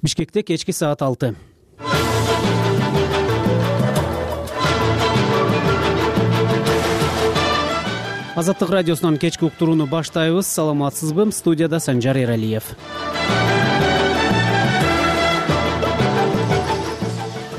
Бишкекте кечки саат 6. Азаттык радиосунун кечки уктурууну баштайбыз. Саламатсызбы? Студияда Санжар Эралиев.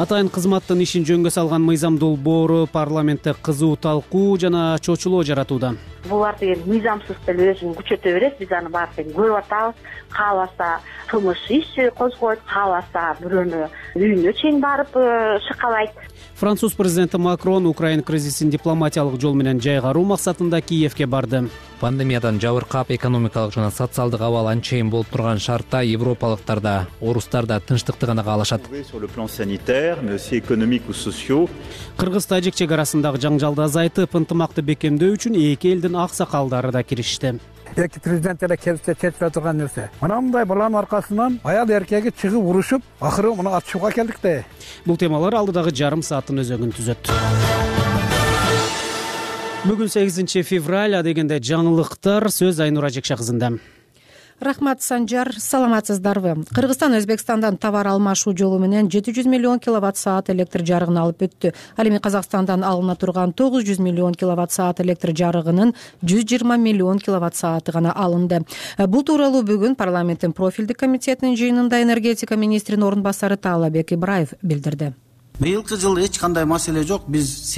Атайын кызматтын ишин жөнгө салган мыйзам долбоору парламентте кызуу талкуу жана чочулоо жаратууда. Булар деген мыйзамсыз деле өзүн күчөтө берет. Биз аны баарын көрүп атабыз. Кааласа кылмыш иш козгойт, кааласа бирөөнү үйүнө чейин барып шыкалайт. Француз президенти Макрон Украина кризисин дипломатиялык жол менен жайгаруу максатында Киевге барды. Пандемиядан жабыркап, экономикалык жана социалдык абал анчейин болуп турган шартта европалыктар да, орустар да тынчтыкты гана каалашат. Кыргыз-тажик чек арасындагы жаңжалды азайтып, ынтымакты бекемдөө үчүн эки элдин аксакалдары да киришти. Эки президент эле келсе чечиле турган нерсе. Мындай баланын аркасынан аял эркеги чыгып урушуп, акыры муну атышууга келдик да. Бул темалар алдыдагы жарым сааттын өзөгүн түзөт. Бүгүн 8 февраль, дегенде жаңылыктар. Сөз Айнура Жекша кызында. Рахмат, Санжар. Саламатсыздарбы? Кыргызстан Өзбекстандан товар алмашуу жолу менен 700 миллион киловатт-саат электр жарыгын алып өттү. Ал эми Казакстандан алына турган 900 миллион киловатт-саат электр жарыгынын 120 миллион киловатт-сааты гана алынды. Бул тууралуу бүгүн парламенттин профилдик комитетинин жыйынында энергетика министринин орун басары Таалабек Ибраев билдирди. Быйылкы жыл эч кандай маселе жок. Биз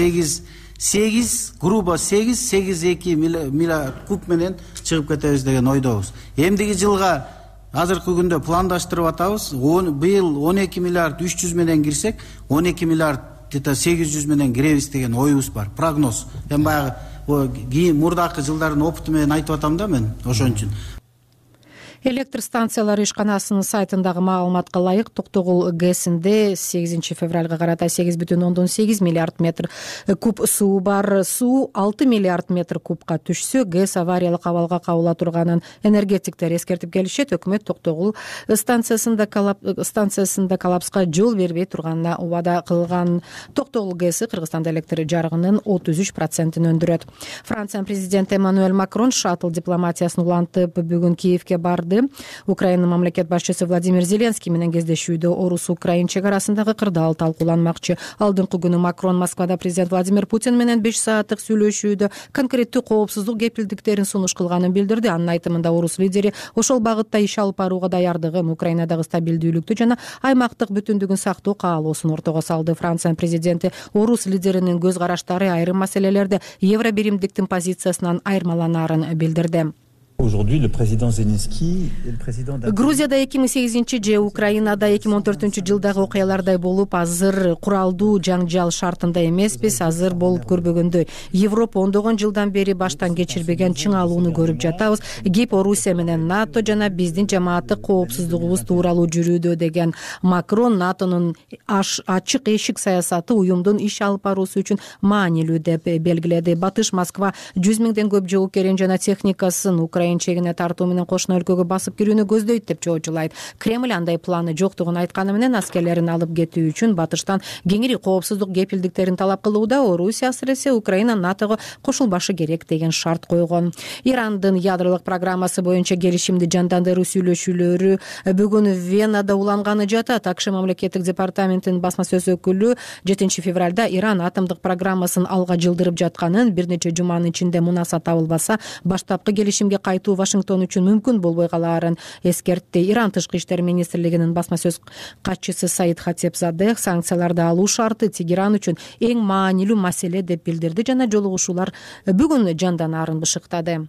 8,2 миллиард куб менен чыгып кетебиз деген ойдобуз. Эмдиги жылга азыркы күндө пландаштырып атабыз. Быйыл 12 миллиард 300 менен кирсек, 12 миллиард 800 менен киребиз деген оюбуз бар. Прогноз. Мен баягы мурдакы жылдардын опыту менен айтып атам да мен ошон үчүн. Электр станциялары ишканасынын сайтындагы маалыматка ылайык Токтогул ГЭСинде 8 февралга карата 8,8 миллиард метр куб суу бар. Суу 6 миллиард метр кубка түшсө, ГЭС авариялык абалга кабыла турганын энергетиктер эскертип келишет. Өкмөт Токтогул станциясында коллапска жол бербей турганына убада кылган. Токтогул ГЭСи Кыргызстанда электр жарыгынын 33%-ин өндүрөт. Франциянын президенти Эммануэль Макрон шаттл дипломатиясын улантып бүгүн Киевге барды. Украина мамлекет башчысы Владимир Зеленский менен кездешүүдө Орус-Украин чек арасындагы кырдаал талкууланмакчы. Алдыңкы күнү Макрон Москвада президент Владимир Путин менен 5 сааттык сүйлөшүүдө конкреттүү коопсуздук кепилдиктерин сунуш кылганын билдирди. Анын айтымында орус лидери ошол багытта иш алып барууга даярдыгын, Украинадагы стабилдүүлүктү жана аймактык бүтүндүгүн сактоо каалоосун ортого салды. Франциянын президенти орус лидеринин көз караштары айрым маселелерде евробиримдиктин позициясынан айырмаланаарын билдирди. Грузияда 2008 Украинада 2014 жылдагы окуялардай болуп, азыр куралдуу жаңжал шартында эмеспиз. Азыр болуп көрбөгөндөй. Европа ондогон жылдан бери баштан кечирбеген чыңалууну көрүп жатабыз. ГИП Орусия менен НАТО жана биздин жамааттык коопсуздугубуз тууралуу жүрүүдө деген Макрон НАТОнун ачык эшик саясаты уюмдун иш алып баруусу үчүн маанилүү деп белгиледи. Батыш Москва 100 миңден көп жоокерин жана техникасын Украина чегине тартуу менен кошуна өлкөгө басып кирүүнү көздөйт деп жоочулайт. Кремль андай планы жоктугун айтканы менен аскерлерин алып кетүү үчүн батыштан кеңири коопсуздук кепилдиктерин талап кылууда. Орусия асыресе Украина НАТОго кошулбашы керек деген шарт койгон. Ирандын ядролук программасы боюнча келишимди жандандыруу сүйлөшүүлөрү бүгүн Венада уланганы жатат. АКШ мамлекеттик департаментинин басма сөз өкүлү 7 февралда Иран атомдук программасын алга жылдырып жатканын, бир нече жуманын ичинде мунаса табылбаса баштапкы келишимге кайтуу Вашингтон үчүн мүмкүн болбой калаарын эскертти. Иран тышкы иштер министрлигинин басма сөз катчысы Саид Хатепзадех санкцияларды алуу шарты Тегеран үчүн эң маанилүү маселе деп билдирди жана жолугушуулар бүгүн жанданаарын бышыктады.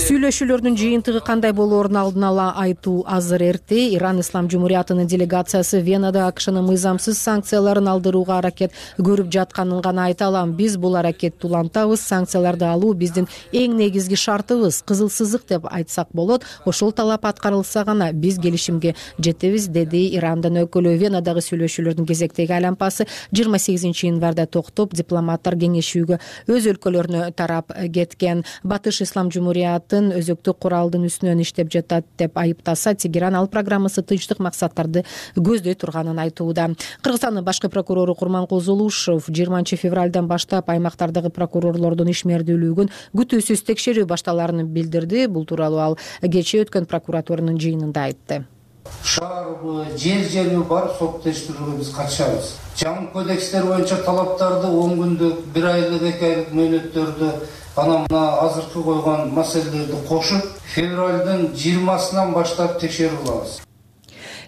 Сүйлөшүүлөрдүн жыйынтыгы кандай болоорун алдын ала айтуу азыр эрте. Иран Ислам Жумуриятынын делегациясы Венада АКШнын мыйзамсыз санкцияларын алдырууга аракет көрүп жатканын гана айта алам. Биз бул аракетти улантабыз. Санкцияларды алуу биздин эң негизги шартыбыз. Кызыл сызык деп айтсак болот. Ошол талап аткарылса гана биз келишимге жетебиз, деди Ирандын өкүлү. Венадагы сүйлөшүүлөрдүн кезектеги айлампасы 28 январда токтоп, дипломаттар кеңешүүгө өз өлкөлөрүнө тарап кеткен. Батыш Ислам Жумуриятын өзөктүк куралдын үстүнөн иштеп жатат деп айыптаса, Тегеран ал программасы тынчтык максаттарды көздөй турганын айтууда. Кыргызстандын башкы прокурору Курманкул Зулушев 20 февралдан баштап аймактардагы прокурор прокурорлордун ишмердүүлүгүн күтүүсүз текшерүү башталарын билдирди. Бул тууралуу ал кечээ өткөн прокуратуранын жыйынында айтты. Шаарбы, жерби бар сот тештирүүгө биз катышабыз. Жаңы кодекстер боюнча талаптарды 10 күндүк, 1 айлык, 2 айлык мөөнөттөрдү анан мына азыркы койгон маселелерди кошуп, февралдын 20-сынан баштап текшерип алабыз.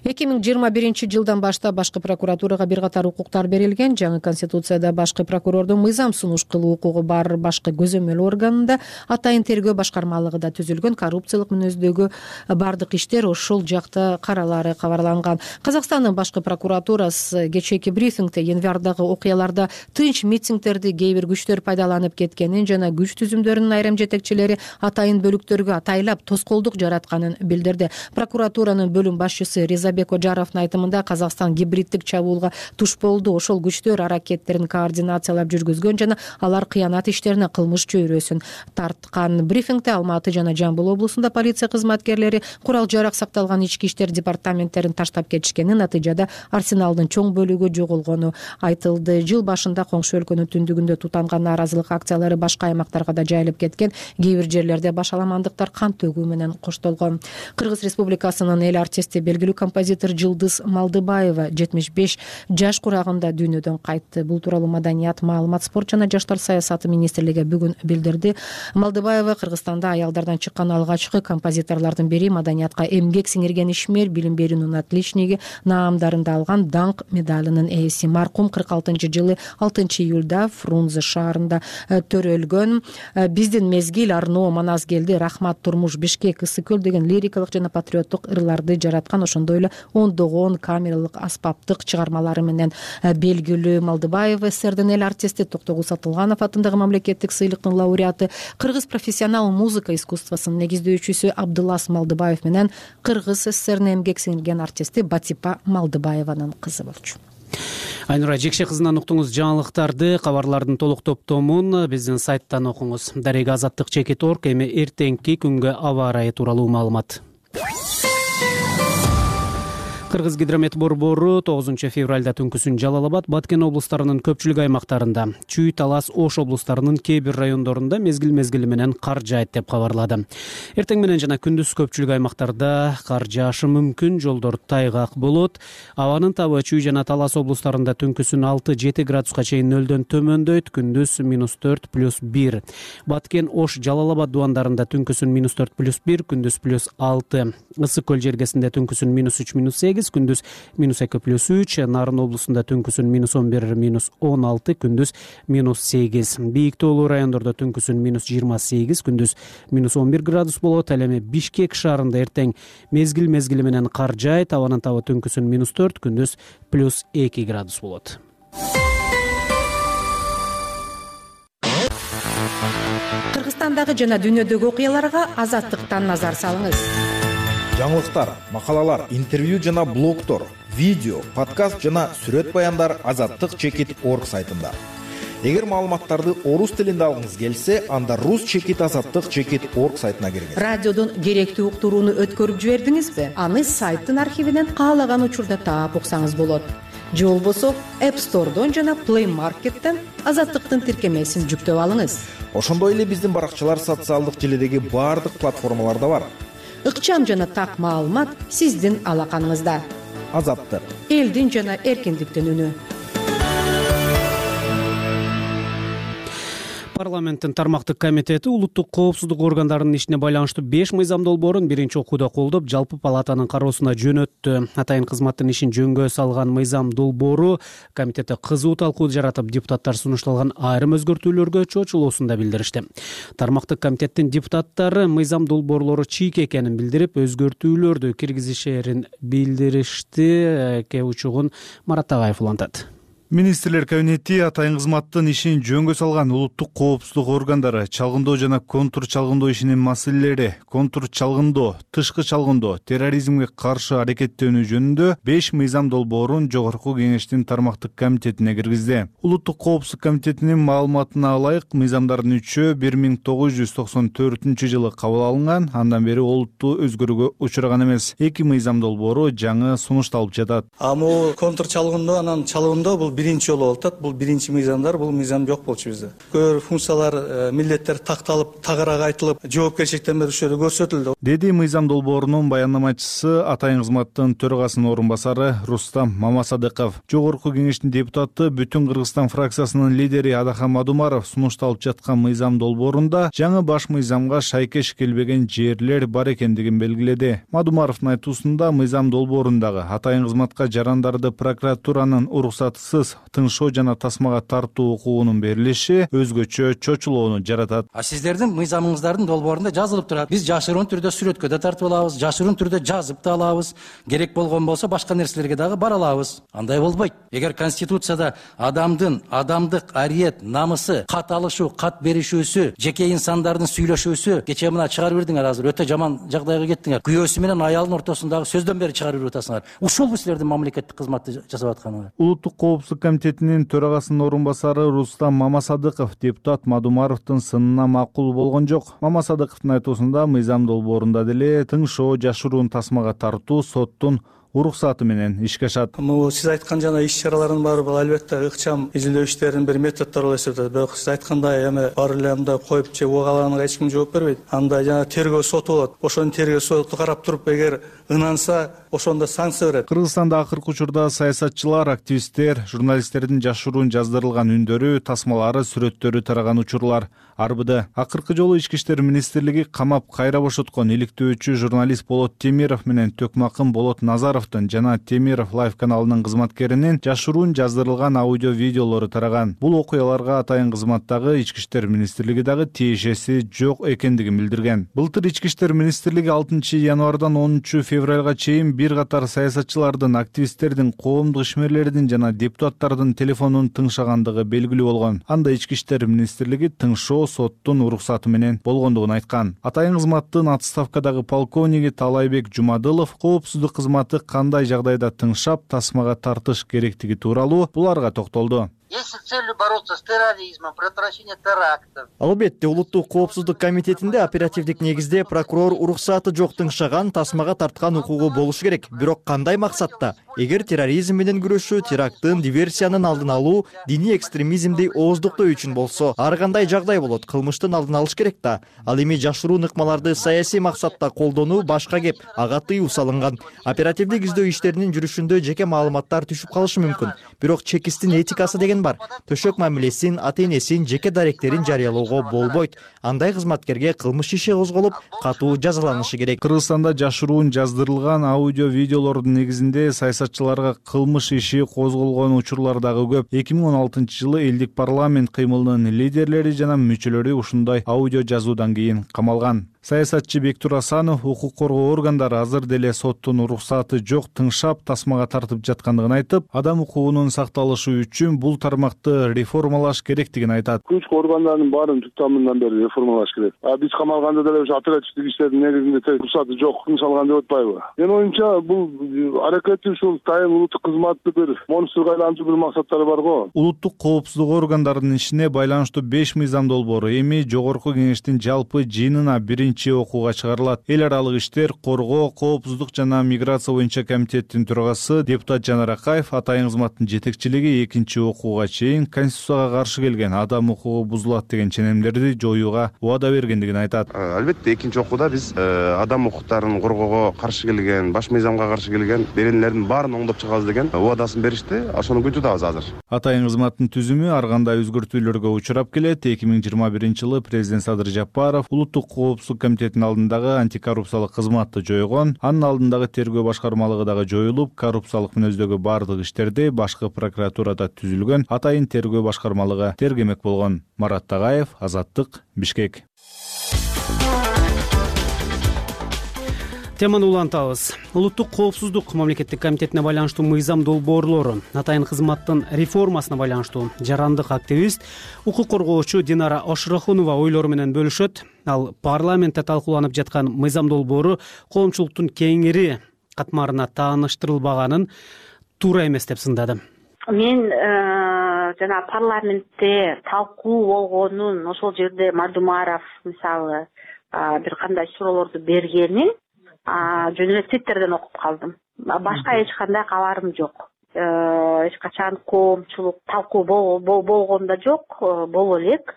2021 жылдан баштап башкы прокуратурага бир катар укуктар берилген. Жаңы конституцияда башкы прокурордун мыйзам сунуш кылуу укугу бар. Башкы көзөмөл органында атайын тергөө башкармалыгы да түзүлгөн. Коррупциялык мүнөздөгү бардык иштер ошол жакта каралары кабарланган. Казакстандын башкы прокуратурасы кечээки брифингде январдагы окуяларда тынч митингдерди кээ бир күчтөр пайдаланып кеткенин жана күч түзүмдөрүнүн айрым жетекчилери атайын бөлүктөргө атайлап тоскоолдук жаратканын билдирди. Прокуратуранын бөлүм башчысы Резабек Ожаровдун айтымында Казакстан гибриддик чабуулга туш болду. Ошол күчтөр аракеттерин координациялап жүргүзгөн жана алар кыянат иштерине кылмыш чөйрөсүн тарткан. Брифингде Алматы жана Жамбыл облусунда полиция кызматкерлери курал жарак сакталган ички иштер департаменттерин таштап кетишкени, натыйжада арсеналдын чоң бөлүгү жоголгону айтылды. Жыл башында коңшу өлкөнүн түндүгүндө тутанган нааразылык акциялары башка аймактарга да жайылып кеткен. Кээ бир жерлерде башаламандыктар кан төгүү менен коштолгон. Кыргыз Республикасынын эл артисти, белгилүү композитор Жылдыз Малдыбаева 75 жаш курагында дүйнөдөн кайтты. Бул тууралуу Маданият, маалымат, спорт жана жаштар саясаты министрлиги бүгүн билдирди. Малдыбаева Кыргызстанда аялдардан чыккан алгачкы композиторлордун бири. Маданиятка эмгек сиңирген ишмер, билим берүүнүн отличниги наамдарын да алган, даңк медалынын ээси. Маркум 46-жылы 6 июлда Фрунзе шаарында төрөлгөн. Биздин мезгил, Арно, Манас келди, Рахмат, Турмуш, Бишкек, Ысык көл деген лирикалык жана патриоттук ырларды жараткан. Ошондой эле ондогон камералык аспаптык чыгармалары менен белгилүү. Малдыбаева СССРдин эл артисти, Токтогул Сатылганов атындагы мамлекеттик сыйлыктын лауреаты, Кыргыз профессионал музыка искусствосунун негиздөөчүсү Абдулас Малдыбаев менен Кыргыз СССРнин эмгек сиңирген артисти Батипа Малдыбаеванын кызы болчу. Айнура Жекше кызынан уктуңуз жаңылыктарды. Кабарлардын толук топтомун биздин сайттан окуңуз. Дарега Азаттык Чекит.org. Эми эртеңки күнгө аба ырайы тууралуу маалымат. Кыргыз гидромет борбору 9 февралда түнкүсүн Жалал Абад, Баткен облустарынын көпчүлүк аймактарында, Чүй, Талас, Ош облустарынын кээ бир райондорунда мезгил менен кар жаайт деп кабарлады. Эртең менен жана күндүз көпчүлүк аймактарда кар жаашы мүмкүн, жолдор тайгак болот. Абанын табы Чүй жана Талас облустарында түнкүсүн 6-7 градуска чейин нөлдөн төмөндөйт, күндүз -4 +1. Баткен, Ош, Жалал Абад дубандарында түнкүсүн -4 +1, күндүз +6. Ысык көл жергесинде түнкүсүн -3 -8, күндүз -2 +3, Нарын облусунда түнкүсүн -11 -16, күндүз -8. Бийик тоолуу райондордо түнкүсүн -28, күндүз -11 градус болот. Ал эми Бишкек шаарында эртең мезгил менен кар жаайт, абанын табы түнкүсүн -4, күндүз +2 градус болот. Кыргызстандагы жана дүйнөдөгү окуяларга Азаттыктан назар салыңыз. Жаңылыктар, макалалар, интервью жана блогтор, видео, подкаст жана сүрөт баяндар Азаттык Чекит.org сайтында. Эгер маалыматтарды орус тилинде алгыңыз келсе, анда Rus Чекит Азаттык Чекит.org сайтына киргиз. Радиодон керектүү уктурууну өткөрүп жибердиңизби? Аны сайттын архивинен каалаган учурда таап уксаңыз болот. Же болбосо App Store'дон жана Play Market'тен Азаттыктын тиркемесин жүктөп алыңыз. Ошондой эле биздин баракчалар социалдык желидеги баардык платформаларда бар. Ыкчам жана так маалымат сиздин алаканыңызда. Азаттык, элдин жана эркиндиктин үнү. Парламенттин тармактык комитети улуттук коопсуздук органдарынын ишине байланыштуу 5 мыйзам долбоорун биринчи окууда колдоп, жалпы палатанын кароосуна жөнөттү. Атайын кызматтын ишин жөнгө салган мыйзам долбоору комитетте кызуу талкуу жаратып, депутаттар сунушталган айрым өзгөртүүлөргө чочулуусун билдиришти. Тармактык комитеттин депутаттары мыйзам долбоорлору чийик экенин билдирип, өзгөртүүлөрдү киргизишерин билдиришти. Учугун Марат Тагаев улантат. Министрлер кабинети атайын кызматтын ишин жөнгө салган улуттук коопсуздук органдары чалгындоо жана контур чалгындоо ишинин маселелери, контур чалгындоо, тышкы чалгындоо, терроризмге каршы аракеттөнүү жөнүндө 5 мыйзам долбоорун жогорку кеңештин тармактык комитетине киргизди. Улуттук коопсуздук комитетинин маалыматына ылайык, мыйзамдардын 3-ü 1994-жылы кабыл алынган, андан бери олуттуу өзгөрүүгө учураган эмес. 2 мыйзам долбоору жаңы сунушталып жатат. Бул контур чалгындоо, анан чалгындоо бул биринчи жолу болуп атат. Бул биринчи мыйзамдар, бул мыйзам жок болчу бизде. Көп функциялар, милдеттер такталып, тагыраак айтылып, жоопкерчиликтен берүүчүлөр көрсөтүлдү, деди мыйзам долбоорунун баяндамачысы Атайын кызматтын төрагасынын орун басары Рустам Мамасадыков. Жогорку кеңештин депутаты Бүтүн Кыргызстан фракциясынын лидери Адахан Мадумаров сунушталып жаткан мыйзам долбоорунда жаңы баш мыйзамга шайкеш келбеген жерлер бар экендигин белгиледи. Мадумаровдун айтуусунда мыйзам долбоорундагы атайын кызматка жарандарды прокуратуранын уруксатысыз тыңшоо жана тасмага тартуу укугунун берилиши өзгөчө чочулоону жаратат. Сиздердин мыйзамыңыздардын долбоорунда жазылып турат. Биз жашыруун түрдө сүрөткө да тартып алабыз, жашыруун түрдө жазып да алабыз. Керек болгон болсо башка нерселерге дагы бара алабыз. Андай болбойт. Эгер Конституцияда адамдык ариет, намысы, кат алышуу, кат беришүүсү, жеке инсандардын сүйлөшүүсү, кечээ мына чыгарып бердиңер, азыр өтө жаман жагдайга кеттиңер. Күйөөсү менен аялдын ортосундагы сөздөн бери чыгарып берип атасыңар. Ушул силердин мамлекеттик кызматты жасап атканыңар. Улуттук коопсуздук комитетинин төрагасынын орун басары Рустам Мамасадыков депутат Мадумаровдун сынына макул болгон жок. Мамасадыковдун айтуусунда мыйзам долбоорунда деле тыңшоо, жашыруун тасмага тартуу соттун уруксаты менен ишке ашат. Сиз айткан жана иш-чаралардын баары бул албетте ыкчам изилдөө иштеринин бир методдору болуп эсептелет. Бирок сиз айткандай эми баары эле мындай коюп же угаларга эч ким жооп бербейт. Андай жана тергөө соту болот. Ошонун тергөө соту карап туруп, эгер ынанса, ошондо санкция берет. Кыргызстанда акыркы учурда саясатчылар, активисттер, журналисттердин жашыруун жаздырылган үндөрү, тасмалары, сүрөттөрү тараган учурлар арбыды. Акыркы жолу Ички иштер министрлиги камап кайра бошоткон иликтөөчү журналист Болот Темиров менен Төкмакын Болот Назаровдун жана Темиров Лайф каналынын кызматкеринин жашыруун жаздырылган аудио видеолору тараган. Бул окуяларга атайын кызматтагы Ички иштер министрлиги дагы тиешеси жок экендигин билдирген. Былтыр Ички иштер министрлиги 6 январдан 10 февралга чейин бир катар саясатчылардын, активисттердин, коомдук ишмерлердин жана депутаттардын телефонун тыңшагандыгы белгилүү болгон. Анда Ички иштер министрлиги тыңшоо соттун уруксаты менен болгондугун айткан. Атайын кызматтын отставкадагы полковниги Талайбек Жумадылов коопсуздук кызматы кандай жагдайда тыңшап, тасмага тартыш керектиги тууралуу буларга токтолду. Если с целью бороться с терроризмом, предотвращение терактов. Албетте, улуттук коопсуздук комитетинде оперативдик негизде прокурор уруксаты жок тыңшаган, тасмага тарткан укугу болушу керек. Бирок кандай максатта? Эгер терроризм менен күрөшүү, теракттын, диверсиянын алдын алуу, диний экстремизмди ооздуктоо үчүн болсо, ар кандай жагдай болот, кылмыштын алдын алыш керек да. Ал эми жашыруун ыкмаларды саясий максатта колдонуу башка кеп, ага тыюу салынган. Оперативдик издөө иштеринин жүрүшүндө жеке маалыматтар түшүп калышы мүмкүн. Бирок чекистин этикасы деген бар. Төшөк мамилесин, ата-энесин, жеке даректерин жарыялоого болбойт. Андай кызматкерге кылмыш иши козголуп, катуу жазаланышы керек. Кыргызстанда жашыруун жаздырылган аудио видеолордун негизинде саясатчыларга кылмыш иши козголгон учурлар дагы көп. 2016 жылы элдик парламент кыймылынын лидерлери жана мүчөлөрү ушундай аудио жазуудан кийин камалган. Саясатчы Бектур Асанов укук коргоо органдары азыр деле соттун уруксаты жок тыңшап, тасмага тартып жаткандыгын айтып, адам укугунун сакталышы үчүн бул тармакты реформалаш керектигин айтат. Күч органдарынын баарын түп тамырынан бери реформалаш керек. Биз камалганда деле ушу оперативдик иштердин негизинде уруксаты жок тыңшалган деп атпайбы? Менин оюмча бул аракети ушул тайын улуттук кызматты бир монстурга айлантуу бир максаттары бар го. Улуттук коопсуздук органдарынын ишине байланыштуу 5 мыйзам долбоору эми жогорку кеңештин жалпы жыйынына окууга чыгарылат. Эл аралык иштер, коргоо, коопсуздук жана миграция боюнча комитеттин төрагасы депутат Жанар Акаев атайын кызматтын жетекчилиги 2 окууга чейин Конституцияга каршы келген адам укугу бузулат деген ченемдерди жоюуга убада бергендигин айтат. Албетте 2 окууда биз адам укуктарын коргоого каршы келген, баш мыйзамга каршы келген беренелердин баарын оңдоп чыгабыз деген убадасын беришти. Ошону күтүп азыр. Атайын кызматтын түзүмү ар кандай өзгөртүүлөргө учурап келет. 2021 жылы президент Садыр Жапаров улуттук коопсуздук комитетинин алдындагы антикоррупциялык кызматты жойгон. Анын алдындагы тергөө башкармалыгы дагы жоюлуп, коррупциялык мүнөздөгү бардык иштерди башкы прокуратурада түзүлгөн атайын тергөө башкармалыгы тергемек болгон. Марат Тагаев, Азаттык, Бишкек. Теманы улантабыз. Улуттук коопсуздук мамлекеттик комитетине байланыштуу мыйзам долбоорлору, атайын кызматтын реформасына байланыштуу жарандык активист, укук коргоочу Динара Ошрохунова ойлору менен бөлүшөт. Ал парламентте талкууланып жаткан мыйзам долбоору коомчулуктун кеңири катмарына тааныштырылбаганын туура эмес деп сындады. Мен жана парламентте талкуу болгонун, ошол жерде Мадумаров мисалы бир кандай суроолорду бергенин жөн эле Twitterден окуп калдым. Башка эч кандай кабарым жок. эч качан коомчулук талкуу болгон да жок, боло элек.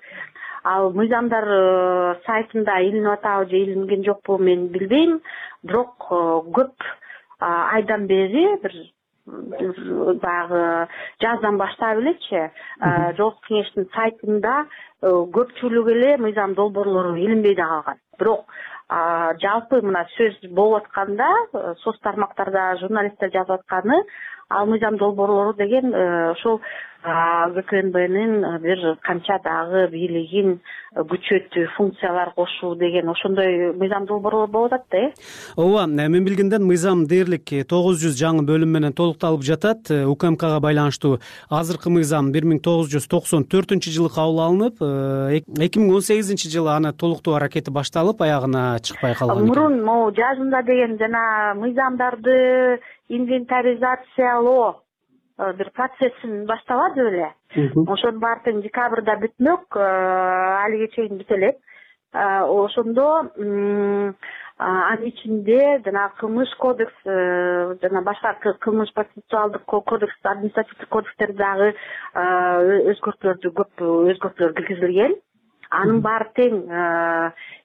Ал мыйзамдар сайтында илинип атабы же илинген жокпу мен билбейм, бирок көп айдан бери бир баягы жаздан баштап элечи Жогорку Кеңештин сайтында көпчүлүк эле мыйзам долбоорлору илинбей да калган. Бирок жалпы мына сөз болуп атканда, соц тармактарда журналисттер жазып атканы, ал мыйзам долбоорлору деген ошол ГКНБнын бир канча дагы бийлигин күчөтүү, функциялар кошуу деген ошондой мыйзам долбоорлор болуп атат да. Ооба, мен билгенден мыйзам дээрлик 900 жаңы бөлүм менен толукталып жатат. УКМКга байланыштуу азыркы мыйзам 1994-жылы кабыл алынып, 2018-жылы аны толуктоо аракети башталып, аягына чыкпай калган экен. Мурун могу жазында деген жана мыйзамдарды инвентаризациялоо бир процессин баштабады беле. Ошонун баары тең декабрда бүтмөк, алиге чейин бүтө элек. Ошондо анын ичинде жана кылмыш кодекс жана башка кылмыш процессуалдык кодекс, административдик кодекстер дагы көп өзгөртүүлөр киргизилген. Анын баары тең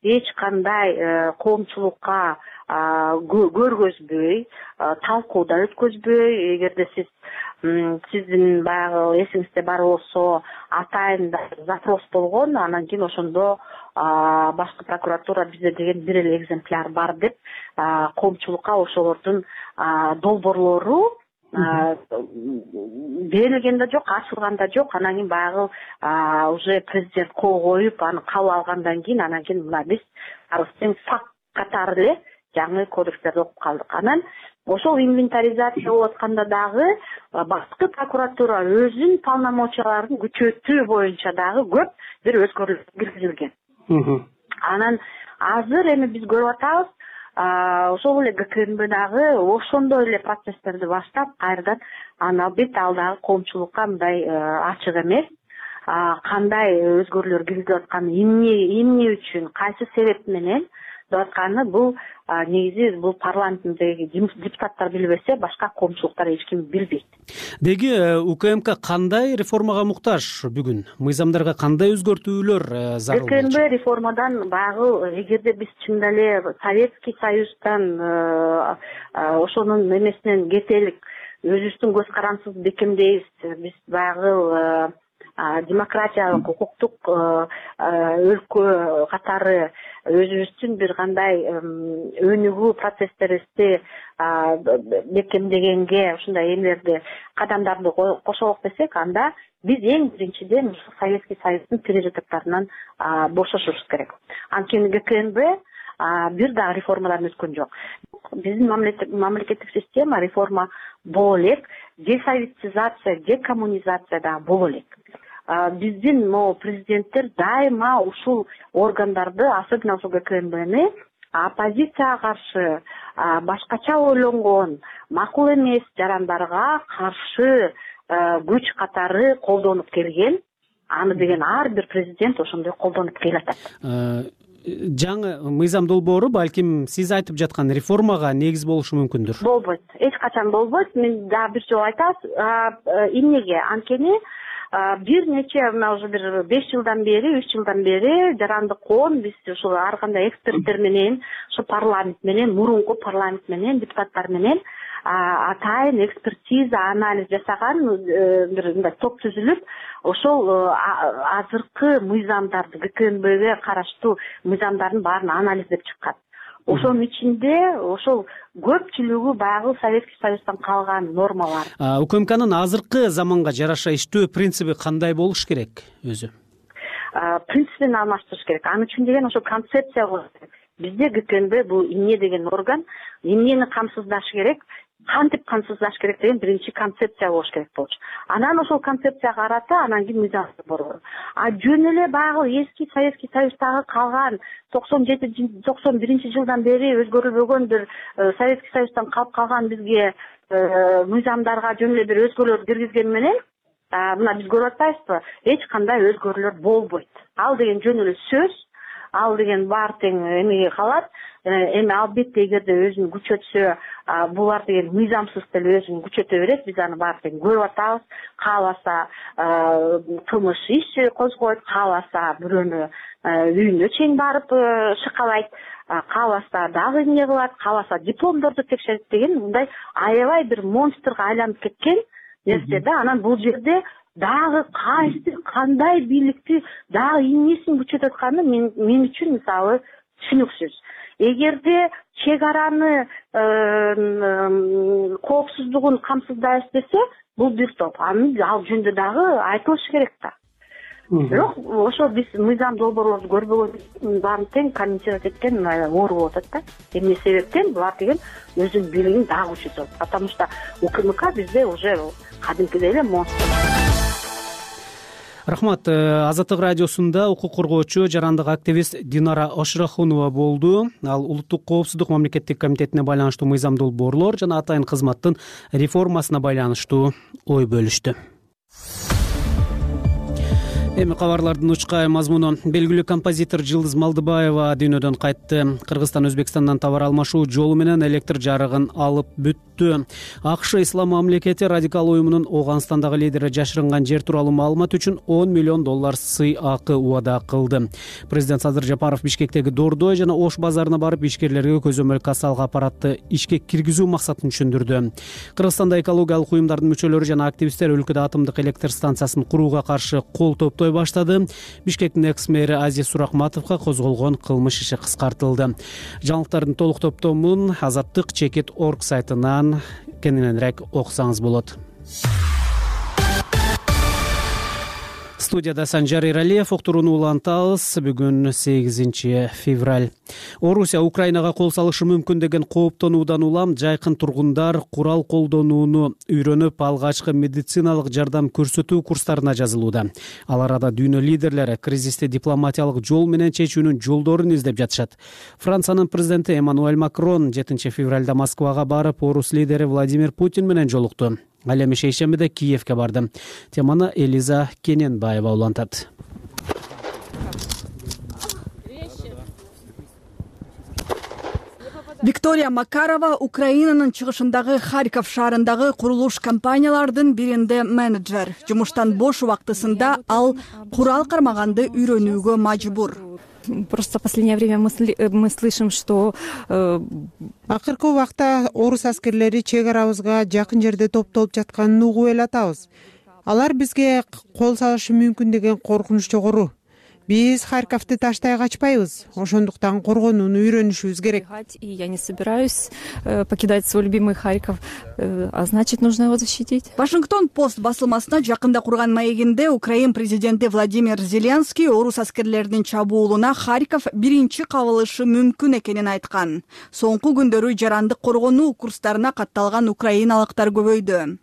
эч кандай коомчулукка көргөзбөй, талкуудан өткөзбөй, эгерде сиздин баягы эсиңизде бар болсо, атайын запрос болгон, анан кийин ошондо башкы прокуратура бизде деген бир эле экземпляр бар деп коомчулукка ошолордун долбоорлору берилген да жок, ачылган да жок. Анан кийин баягы уже президент кол коюп, аны кабыл алгандан кийин, анан кийин мына биз тең факт катары эле жаңы кодекстерди окуп калдык. Анан ошол инвентаризация болуп атканда дагы башкы прокуратура өзүнүн полномочияларын күчөтүү боюнча дагы көп бир өзгөрүүлөр киргизилген. Анан азыр эми биз көрүп атабыз, ошол эле ГКНБ дагы ошондой эле процесстерди баштап, кайрадан албетте ал дагы коомчулукка мындай ачык эмес. Кандай өзгөрүүлөр киргизилип атканы, эмне үчүн, кайсы себеп менен деп атканы, бул негизи бул парламенттеги депутаттар билбесе, башка коомчулуктар эч ким билбейт. Деги УКМК кандай реформага муктаж бүгүн? Мыйзамдарга кандай өзгөртүүлөр зарыл? ГКНБ реформадан баягы, эгерде биз чында эле Советский Союздан ошонун эмесинен кетелик, өзүбүздүн көз карандысыбызды бекемдейбиз, биз баягы демократиялык, укуктук өлкө катары өзүбүздүн бир кандай өнүгүү процесстерибизди бекемдегенге ушундай эмелерди, кадамдарды кошолук десек, анда биз эң биринчиден Советский Союздун пережитоктарынан бошошубуз керек. Анткени ГКНБ бир дагы реформадан өткөн жок. Биздин мамлекеттик система реформа боло элек, десоветизация, декоммунизация дагы боло элек. Биздин президенттер дайыма ушул органдарды, особенно ошол ГКНБны оппозицияга каршы, башкача ойлонгон, макул эмес жарандарга каршы күч катары колдонуп келген. Аны деген ар бир президент ошондой колдонуп келатат. Жаңы мыйзам долбоору балким сиз айтып жаткан реформага негиз болушу мүмкүндүр. Болбойт, эч качан болбойт. Мен дагы бир жолу айтабыз. Эмнеге? Анткени бир нече уже бир 5 жылдан бери, 3 жылдан бери жарандык коом биз ушул ар кандай эксперттер менен, ушу парламент менен, мурунку парламент менен, депутаттар менен атайын экспертиза, анализ жасаган бир мындай топ түзүлүп, ошол азыркы мыйзамдарды, ГКНБге караштуу мыйзамдардын баарын анализдеп чыккан. Ошонун ичинде ошол көпчүлүгү баягы Советский Союздан калган нормалар. УКМКнын азыркы заманга жараша иштөө принциби кандай болуш керек өзү? Принципин алмаштырыш керек. Аны үчүн деген ошо концепция болуш керек. Бизде ГКНБ бул эмне деген орган, эмнени камсыздашы керек, кантип камсыздаш керек деген биринчи концепция болуш керек болчу. Анан ошол концепцияга карата анан кийин мыйзам борбор. Жөн эле баягы эски Советский Союздагы калган 97-91 жылдан бери өзгөрүлбөгөн бир Советский Союздан калып калган бизге мыйзамдарга жөн эле бир өзгөрүүлөр киргизген менен мына биз көрүп атпайбызбы? Эч кандай өзгөрүүлөр болбойт. Ал деген жөн эле сөз. Ал деген баары тең эмеге калат. Эми албетте эгерде өзүн күчөтсө, булар деген мыйзамсыз деле өзүн күчөтө берет. Биз аны баары тең көрүп атабыз. Кааласа кылмыш иш козгойт, кааласа бирөөнү үйүнө чейин барып шыкалайт, кааласа дагы эмне кылат, кааласа дипломдорду текшерет деген мындай аябай бир монстрга айланып кеткен нерсе да. Анан бул жерде дагы кайсы кандай бийликти дагы эмнесин күчөтүп атканы мен үчүн мисалы түшүнүксүз. Эгерде чек араны коопсуздугун камсыздайбыз десе, бул бир топ. Ал жөнүндө дагы айтылышы керек да. Бирок ошо биз мыйзам долбоорлорду көрбөгөн баарын тең комментировать эткен оор болуп атат да. Эмне себептен булар деген өзүнүн бийлигин дагы күчөтөт. Потому что УКМК бизде уже кадимкидей эле монстр. Рахмат. Азаттык радиосунда укук коргоочу, жарандык активист Динара Ошрахунова болду. Ал улуттук коопсуздук мамлекеттик комитетине байланыштуу мыйзам долбоорлор жана атайын кызматтын реформасына байланыштуу ой бөлүштү. Эми кабарлардын учкай мазмуну. Белгилүү композитор Жылдыз Малдыбаева дүйнөдөн кайтты. Кыргызстан Өзбекстандан товар алмашуу жолу менен электр жарыгын алып бүттү. АКШ Ислам мамлекети радикал уюмунун Ооганстандагы лидери жашырынган жер тууралуу маалымат үчүн $10 миллион сый акы убада кылды. Президент Садыр Жапаров Бишкектеги Дордой жана Ош базарына барып ишкерлерге көзөмөл кассалык аппаратты ишке киргизүү максатын түшүндүрдү. Кыргызстанда экологиялык уюмдардын мүчөлөрү жана активисттер өлкөдө атомдук электр станциясын курууга каршы кол топтой баштады. Бишкектин экс-мэри Азиз Сурахматовго козголгон кылмыш иши кыскартылды. Жаңылыктардын толук топтомун Азаттык.org сайтынан кененирээк окусаңыз болот. Студияда Санжар Иралиев, уктурууну улантабыз. Бүгүн 8 февраль. Орусия Украинага кол салышы мүмкүн деген кооптонуудан улам жайкын тургундар курал колдонууну үйрөнүп, алгачкы медициналык жардам көрсөтүү курстарына жазылууда. Ал арада дүйнө лидерлери кризисти дипломатиялык жол менен чечүүнүн жолдорун издеп жатышат. Франциянын президенти Эммануэль Макрон 7 февралда Москвага барып, орус лидери Владимир Путин менен жолукту. Ал эми шейшембиде Киевке барды. Теманы Элиза Кененбаева улантат. Виктория Макарова Украинанын чыгышындагы Харьков шаарындагы курулуш компаниялардын биринде менеджер. Жумуштан бош убактысында ал курал кармаганды үйрөнүүгө мажбур. Просто в последнее время мы слышим, что акыркы убакта орус аскерлери чек арабызга жакын жерде топтолуп жатканын угуп эле атабыз. Алар бизге кол салышы мүмкүн деген коркунуч жогору. Биз Харьковду таштай качпайбыз. Ошондуктан коргонууну үйрөнүшүбүз керек. И я не собираюсь покидать свой любимый Харьков, а значит, нужно его защитить. Вашингтон Пост басылмасына жакында курган маегинде Украин президенти Владимир Зеленский орус аскерлеринин чабуулуна Харьков биринчи кабылышы мүмкүн экенин айткан. Соңку күндөрү жарандык коргонуу курстарына катталган украиналыктар көбөйдү.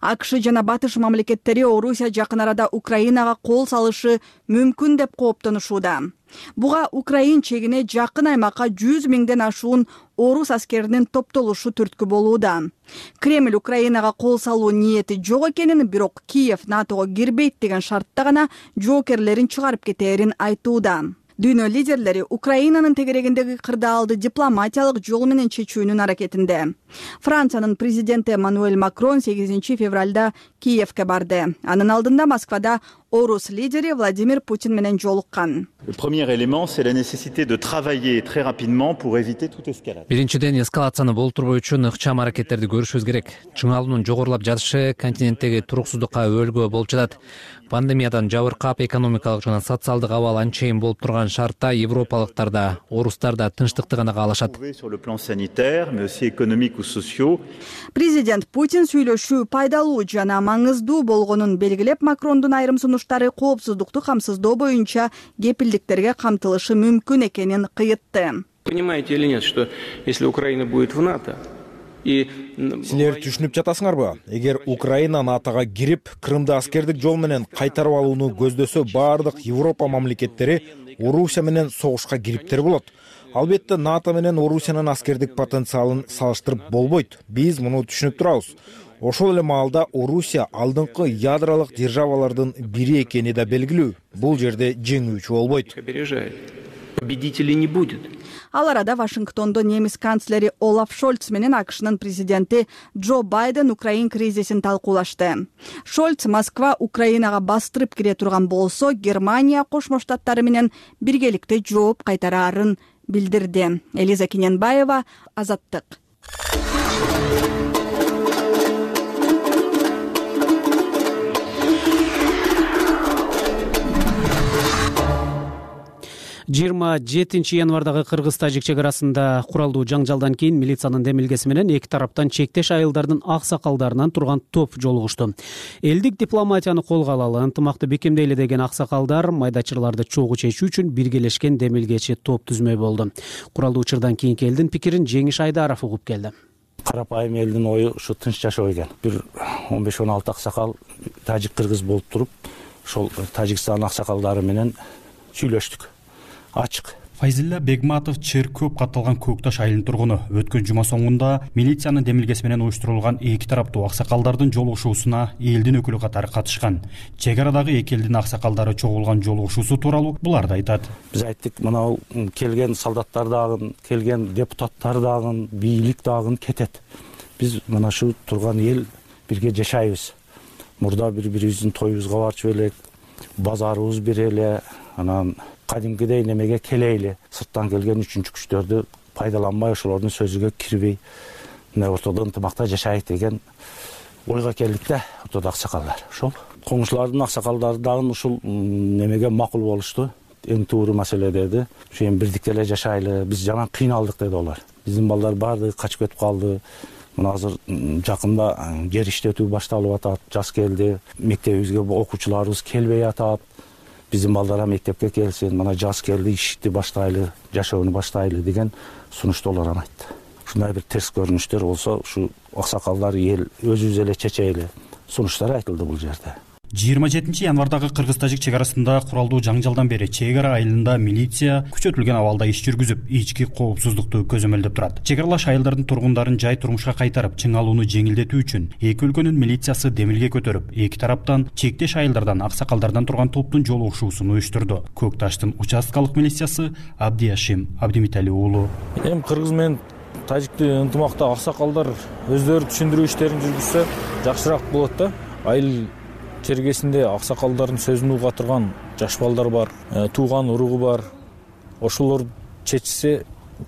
АКШ жана Батыш мамлекеттери Орусия жакын арада Украинага кол салышы мүмкүн деп кооптонушууда. Буга Украин чегине жакын аймакка 100 миңден ашуун орус аскеринин топтолушу түрткү болууда. Кремль Украинага кол салуу ниети жок экенин, бирок Киев НАТОго кирбейт деген шартта гана жоокерлерин чыгарып кетээрин айтууда. Дүйнө лидерлери Украинанын тегерегиндеги кырдаалды дипломатиялык жол менен чечүүнүн аракетинде. Франциянын президенти Эммануэль Макрон 8 февралда Киевке барды. Анын алдында Москвада орус лидери Владимир Путин менен жолуккан. Le premier élément, c'est la nécessité de travailler très rapidement pour éviter toute escalade. Биринчиден, эскалацияны болтурбоо үчүн ыкчам аракеттерди көрүшүбүз керек. Чыңалуунун жогорулап жатышы континенттеги туруксуздукка өбөлгө болуп жатат. Пандемиядан жабыркап, экономикалык жана социалдык абал анчейин болуп турган шартта европалыктар да, орустар да тынчтыкты гана каалашат. Sur le plan sanitaire, mais aussi économique ou sociaux. Президент Путин сүйлөшүү пайдалуу жана маңыздуу болгонун белгилеп, Макрондун айрым сунуштары коопсуздукту камсыздоо боюнча кепилдиктерге камтылышы мүмкүн экенин кыйытты. Понимаете или нет, что если Украина будет в НАТО, Силер түшүнүп жатасыңарбы? Эгер Украина НАТОга кирип, Крымды аскердик жол менен кайтарып алууну көздөсө, баардык Европа мамлекеттери Орусия менен согушка кириптер болот. Албетте НАТО менен Орусиянын аскердик потенциалын салыштырып болбойт. Биз муну түшүнүп турабыз. Ошол эле маалда Орусия алдыңкы ядролук державалардын бири экени да белгилүү. Бул жерде жеңүүчү болбойт. Победителей не будет. Ал арада Вашингтондо немис канцлери Олаф Шольц менен АКШнын президенти Джо Байден Украин кризисин талкуулашты. Шольц Москва Украинага бастырып кире турган болсо, Германия Кошмо Штаттары менен биргеликте жооп кайтараарын билдирди. Элиза Кененбаева, Азаттык. жыйырма жетинчи январдагы кыргыз-тажик чек арасында куралдуу жаңжалдан кийин милициянын демилгеси менен эки тараптан чектеш айылдардын аксакалдарынан турган топ жолугушту. Элдик дипломатияны колго алалы, ынтымакты бекемдейле деген аксакалдар майдачыларды чогуу чечүү үчүн биргелешкен демилгечи топ түзмөй болду. Куралдуу учурдан кийинки элдин пикирин Жеңиш Айдаров угуп келди. Карапайым элдин ою ушу тынч жашоо экен. Бир 15-16 аксакал тажик кыргыз болуп туруп, ошол Тажикстан аксакалдары менен сүйлөштүк. Ачык. Файзилла Бегматов чер көп катталган Көкташ айылынын тургуну. Өткөн жума соңунда милициянын демилгеси менен уюштурулган эки тараптуу аксакалдардын жолугушуусуна элдин өкүлү катары катышкан. Чек арадагы эки элдин аксакалдары чогулган жолугушуусу тууралуу буларды айтат. Биз айттык, мына келген солдаттар дагы, келген депутаттар дагы, бийлик дагы кетет. Биз мына шу турган эл бирге жашайбыз. Мурда бири-бирибиздин тоюбузга барчу элек, базарыбыз бир эле, анан кадимкидей немеге келейли. Сырттан келген үчүнчү күчтөрдү пайдаланбай, ошолордун сөзүгө кирбей, мына ортодо ынтымакта жашайык деген ойго келдик да, ортодо аксакалдар. Ошол коңшулардын аксакалдары дагы ушул немеге макул болушту. Эң туура маселе деди. Ошо эми бирдикте эле жашайлы, биз жаман кыйналдык деди олар. Биздин балдар баардыгы качып кетип калды. Мына азыр жакында жер иштетүү башталып атат, жаз келди. Мектебибизге окуучуларыбыз келбей атат. Биздин балдар мектепке келсин, мына жаз келди, ишти баштайлы, жашоону баштайлы деген сунуштуулар айтты. Ушундай бир терс көрүнүштөр болсо, ушу аксакалдар эл өзүбүз эле чечейли сунуштар айтылды бул жерде. 27 январдагы кыргыз-тажик чек арасында куралдуу жаңжалдан бери чек ара айылында милиция күчөтүлгөн абалда иш жүргүзүп, ички коопсуздукту көзөмөлдөп турат. Чек аралаш айылдардын тургундарын жай турмушка кайтарып, чың алууну жеңилдетүү үчүн эки өлкөнүн милициясы демилге көтөрүп, эки тараптан чектеш айылдардан, аксакалдардан турган топтун жолугушуусун уюштурду. Көкташтын участкалык милициясы Абдияшим Абдимитали уулу. Эми кыргыз менен тажикти ынтымакта аксакалдар өздөрү түшүндүрүү иштерин жүргүзсө жакшыраак болот да. Айыл чергесинде аксакалдардын сөзүн уга турган жаш балдар бар, тууган уругу бар. Ошолор чечсе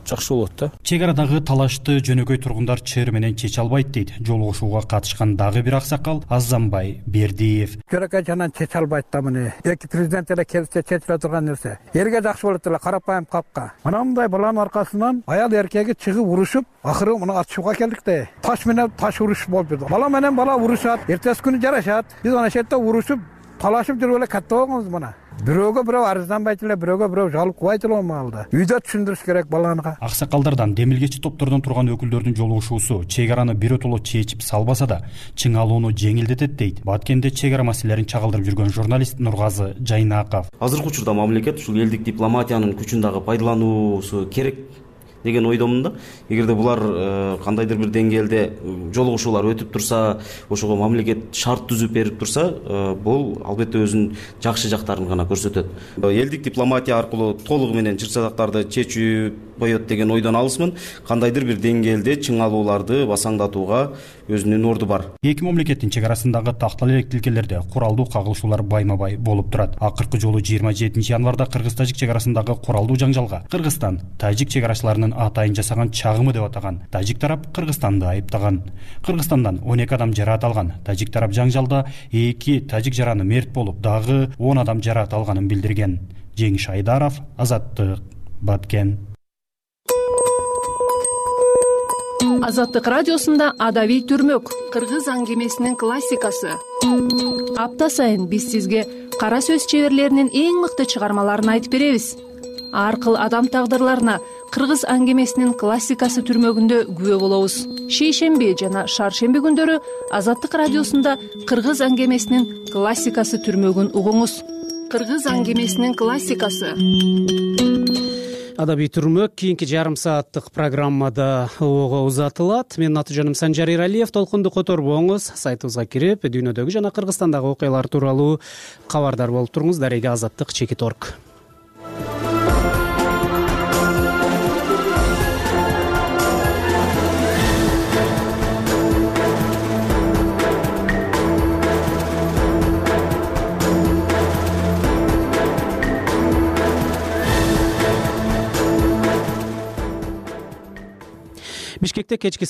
жакшы болот да. Чек арадагы талашты жөнөкөй тургундар чер менен чече албайт дейт. Жолугушууга катышкан дагы бир аксакал Азамбай Бердиев. Жөнөкөй жанан чече албайт да муну. Эки президент эле келсе чечиле турган нерсе. Элге жакшы болот эле, карапайым капка. Мындай баланын аркасынан аял эркеги чыгып урушуп, акыры муну атышууга келдик да. Таш менен таш уруш болуп жүрдү. Бала менен бала урушат, эртеси күнү жарашат. Биз ана жерде урушуп, талашып жүрүп эле катта болгонбуз мына. Бирөөгө бирөө арызданбайт эле, бирөөгө бирөө жалып кубайт эле маалда. Үйдө түшүндүрүш керек баланга. Аксакалдардан, демилгечи топтордон турган өкүлдөрдүн жолугушуусу чек араны биротоло чечип салбаса да, чың алууну жеңилдетет дейт Баткенде чек ара маселелерин чагылдырып жүргөн журналист Нургазы Жайнаков. Азыркы учурда мамлекет ушул элдик дипломатиянын күчүн дагы пайдалануусу керек деген ойдомун да. Эгерде булар кандайдыр бир деңгээлде жолугушуулар өтүп турса, ошого мамлекет шарт түзүп берип турса, бул албетте өзүнүн жакшы жактарын гана көрсөтөт. Элдик дипломатия аркылуу толугу менен чыр-чатактарды чечүү коет деген ойдон алысмын. Кандайдыр бир деңгээлде чың алууларды басаңдатууга өзүнүн орду бар. Эки мамлекеттин чек арасындагы тактал элек тилкелерде куралдуу кагылышуулар байма-бай болуп турат. Акыркы жолу 27 январда кыргыз-тажик чек арасындагы куралдуу жаңжалга Кыргызстан тажик чек арачыларынын атайын жасаган чагымы деп атаган. Тажик тарап Кыргызстанды айыптаган. Кыргызстандан 12 адам жараат алган. Тажик тарап жаңжалда 2 тажик жараны мерт болуп, дагы 10 адам жараат алганын билдирген. Жеңиш Айдаров, Азаттык, Баткен. Азаттык радиосунда Адабий Түрмөк, кыргыз аңгемесинин классикасы. Апта сайын биз сизге кара сөз чеберлеринин эң мыкты чыгармаларын айтып беребиз. Аркыл адам тагдырларына кыргыз аңгемесинин классикасы түрмөгүндө күбө болобуз. Шейшемби жана шаршемби күндөрү Азаттык радиосунда кыргыз аңгемесинин классикасы түрмөгүн угуңуз. Кыргыз аңгемесинин классикасы. Адабий Түрмөк кийинки жарым сааттык программада ого узатылат. Менин аты жөнүм Санжар Иралиев. Толкунду которбоңуз, сайтыбызга кирип, дүйнөдөгү жана Кыргызстандагы окуялар тууралуу кабардар болуп туруңуз. Дареге Азаттык _org. Бишкекте кечки